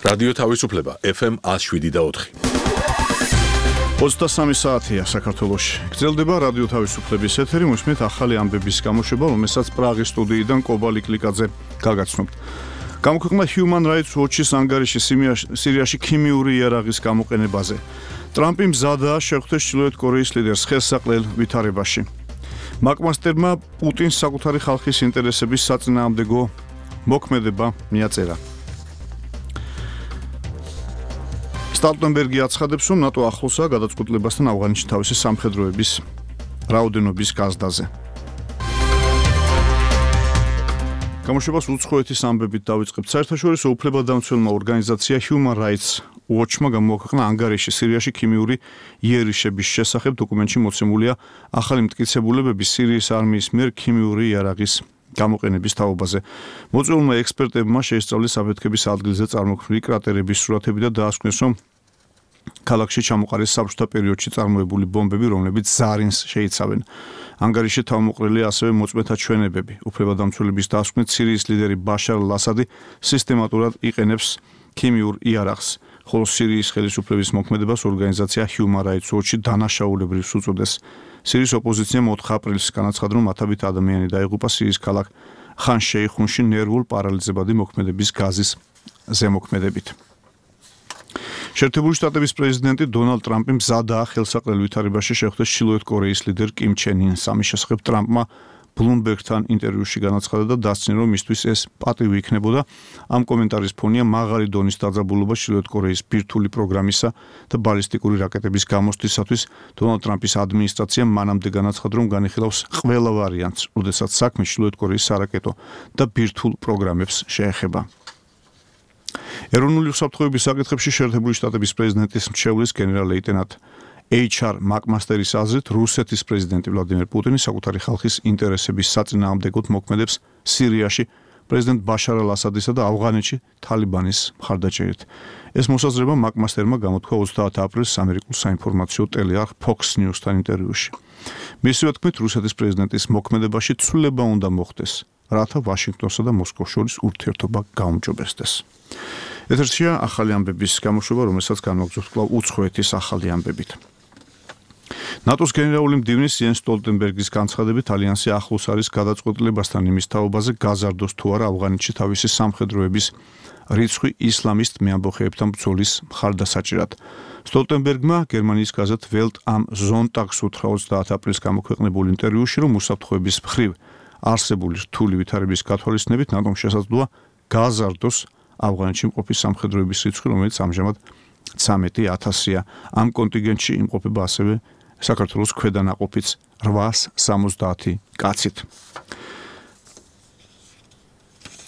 რადიო თავისუფლება FM 107.4. 23 საათია საქართველოში. გრძელდება რადიო თავისუფლების ეთერი, მოსმით ახალი ამბების გამოშვება, რომელსაც პრაღის სტუდიიდან კობალი კლიკაძე გაგაცნობთ. გამოქვეყნდა Human Rights Watch-ის ანგარიში სირიაში ქიმიური იარაღის გამოყენებაზე. ტრამპი მზადაა შეხვდეს ჩრდილოეთ კორეის ლიდერს ხელსაყრელ ვითარებაში. მაკმასტერმა პუტინს საკუთარი ხალხის ინტერესების საწინააღმდეგო მოქმედება მიაწერა. სტოლტენბერგი აცხადებს, რომ ნატო ახლოსაა გადაწყვეტილებასთან ავღანეთში თავისი სამხედროების რაოდენობის გაზრდაზე. გამოშვებას უცხოეთის ამბებით დავიწყებთ. საერთაშორისო უფლებადამცველმა ორგანიზაცია Human Rights Watch-მა გამოაქვეყნა ანგარიში სირიაში ქიმიური იერიშების შესახებ. დოკუმენტში მოცემულია ახალი მტკიცებულებები სირიის არმიის მიერ ქიმიური იარაღის გამოყენების თაობაზე. მოწვეულმა ექსპერტებმა შეისწავლეს აფეთქების ადგილზე წარმოქმნილი კრატერების სურათები და დაასკვნეს, რომ ქალაქში ჩამოყარეს საბჭოთა პერიოდში წარმოებული ბომბები, რომლებიც ზარინს შეიცავენ. ანგარიში თავმოყრილია ასევე მოწმეთა ჩვენებები. უფლებადამცველების დასკვნით სირიის ლიდერი ბაშარ ალ-ასადი სისტემატურად იყენებს ქიმიურ იარაღს, ხოლო სირიის ხელისუფლების მოქმედებას ორგანიზაცია Human Rights Watch-ი დანაშაულებრივს უწოდეს. სირიის ოპოზიციამ 4 აპრილს განაცხადა, რომ ათობით ადამიანი დაიღუპა სირიის ქალაქ ხან შეიხუნში ნერვულ პარალიზებადი მოქმედების გაზის ზემოქმედებით. შეერთებული შტატების პრეზიდენტი დონალდ ტრამპი მზადაა ხელსაყრელ ვითარებაში შეხვდეს ჩრდილოეთ კორეის ლიდერ კიმ ჩენ ინს. ამის შესახებ ტრამპმა ბლუმბერგთან ინტერვიუში განაცხადა და დასცინო, რომ მისთვის ეს პატივი იქნებოდა. ამ კომენტარის ფონია მაღალი დონის დაძაბულობა ჩრდილოეთ კორეის ბირთვული პროგრამისა და ბალისტიკური რაკეტების გამოსვლისათვის. დონალდ ტრამპის ადმინისტრაციამ მანამდე განაცხადა, რომ განიხილავს ყველა ვარიანტს, როდესაც საქმე ჩრდილოეთ კორეის სარაკეტო და ბირთვულ პროგრამებს შეეხება. ეროვნული უსაფრთხოების საკითხებში შეერთებული შტატების პრეზიდენტის მრჩევლის გენერალ-ლეიტენანტ HR მაკმასტერის აზრით, რუსეთის პრეზიდენტი ვლადიმერ პუტინი საკუთარი ხალხის ინტერესების საწინააღმდეგოდ მოქმედებს სირიაში პრეზიდენტ ბაშარ ალ-ასადისა და ავღანეთში თალიბანის მხარდაჭერით. ეს მოსაზრება მაკმასტერმა გამოთქვა 30 აპრილს ამერიკულ საინფორმაციო ტელეარხ Fox News-თან ინტერვიუში. მისივე თქმით, რუსეთის პრეზიდენტის მოქმედებაში ცვლილება უნდა მოხდეს, რათა ვაშინგტონსა და მოსკოვს შორის ურთიერთობა გაუმჯობესდეს. ეთერშია ახალი ამბების გამოშვება, რომელსაც განვაგრძობთ კვლავ უცხოეთის ახალი ამბებით. ნატოს გენერალური მდივნის იენს სტოლტენბერგის განცხადებით, ალიანსი ახლოს არის გადაწყვეტილებასთან იმის თაობაზე, გაზარდოს თუ არა ავღანეთში თავისი სამხედროების რიცხვი ისლამისტ მეამბოხეებთან ბრძოლის მხარდასაჭერად. სტოლტენბერგმა გერმანიის გაზეთ Welt am Sonntag-ს უთხრა 30 აპრილს გამოქვეყნებულ ინტერვიუში, რომ უსაფრთხოების მხრივ არსებული რთული ვითარების გათვალისწინებით ნატომ შესაძლოა გაზარდოს ავღანეთში მყოფი სამხედროების რიცხვი, რომელიც ამჟამად 13,000-ია. ამ კონტინგენტში იმყოფება ასევე საქართველოს ქვედანაყოფიც 870 კაცით.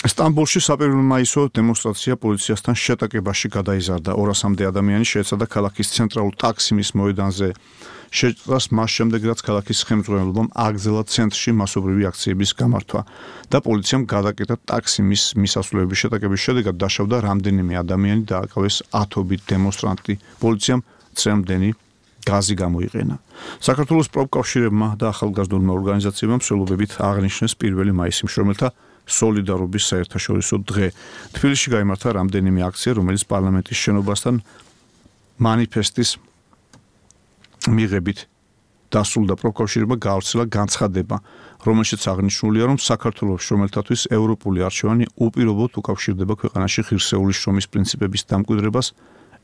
სტამბოლში საპერმაისო დემონსტრაცია პოლიციასთან შეტაკებაში გადაიზარდა. 200-მდე ადამიანი შეეცადა ქალაქის ცენტრალურ ტაქსიმის მოედანზე შეჭრას მას შემდეგ, რაც ქალაქის ხელმძღვანელობამ აგრძელა ცენტრში მასობრივი აქციების გამართვა და პოლიციამ გადაკეტა ტაქსიმის მისასვლელების შეტაკების შედეგად დაშავდა რამდენიმე ადამიანი და აკავეს ათობით დემონსტრანტი. პოლიციამ წრემდენი გაზი გამოიყენა. საქართველოს პროფკავშირებმა და ახალგაზრდულმა ორგანიზაციებმა მსვლელობებით აღნიშნეს 1 მაისი მშრომელთა სოლიდარობის საერთაშორისო დღე. თბილისში გაიმართა რამდენიმე აქცია, რომელიც პარლამენტის შენობასთან მანიფესტის მიღებით დასრულდა. პროფკავშირებმა გაავრცელა განცხადება, რომელშიც აღნიშნულია, რომ საქართველოს შრომელთათვის ევროპული არჩევანი უპირობოდ უკავშირდება ქვეყანაში ღირსეული შრომის პრინციპების დამკვიდრებას,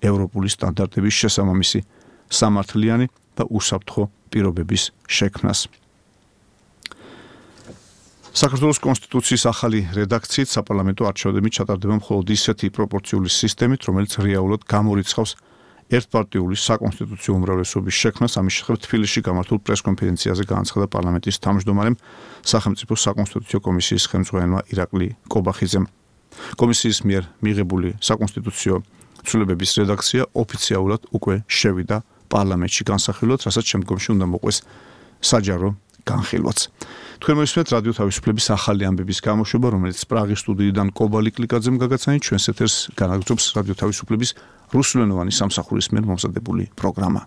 ევროპული სტანდარტების შესაბამისი სამართლიანი და უსაფრთხო პირობების შექმნას. საქართველოს კონსტიტუციის ახალი რედაქციით საპარლამენტო არჩევნები ჩატარდება მხოლოდ ისეთი პროპორციული სისტემით, რომელიც რეალურად გამორიცხავს ერთპარტიული საკონსტიტუციო უმრავლესობის შექმნას. ამის შესახებ თბილისში გამართულ პრესკონფერენციაზე განაცხადა პარლამენტის თავმჯდომარემ სახელმწიფო საკონსტიტუციო კომისიის ხელმძღვანელმა ირაკლი კობახიძემ. კომისიის მიერ მიღებული საკონსტიტუციო ცვლილებების რედაქცია ოფიციალურად უკვე შევიდა პარლამენტში განსახილვად, რასაც შემდგომში უნდა მოყვეს საჯარო განხილვაც. თქვენ მოისმენთ რადიო თავისუფლების ახალი ამბების გამოშვება, რომელიც პრაღის სტუდიიდან კობალი კლიკაძემ გაგაცანით. ჩვენს ეთერს განაგრძობს რადიო თავისუფლების რუსულენოვანი სამსახურის მიერ მომზადებული პროგრამა.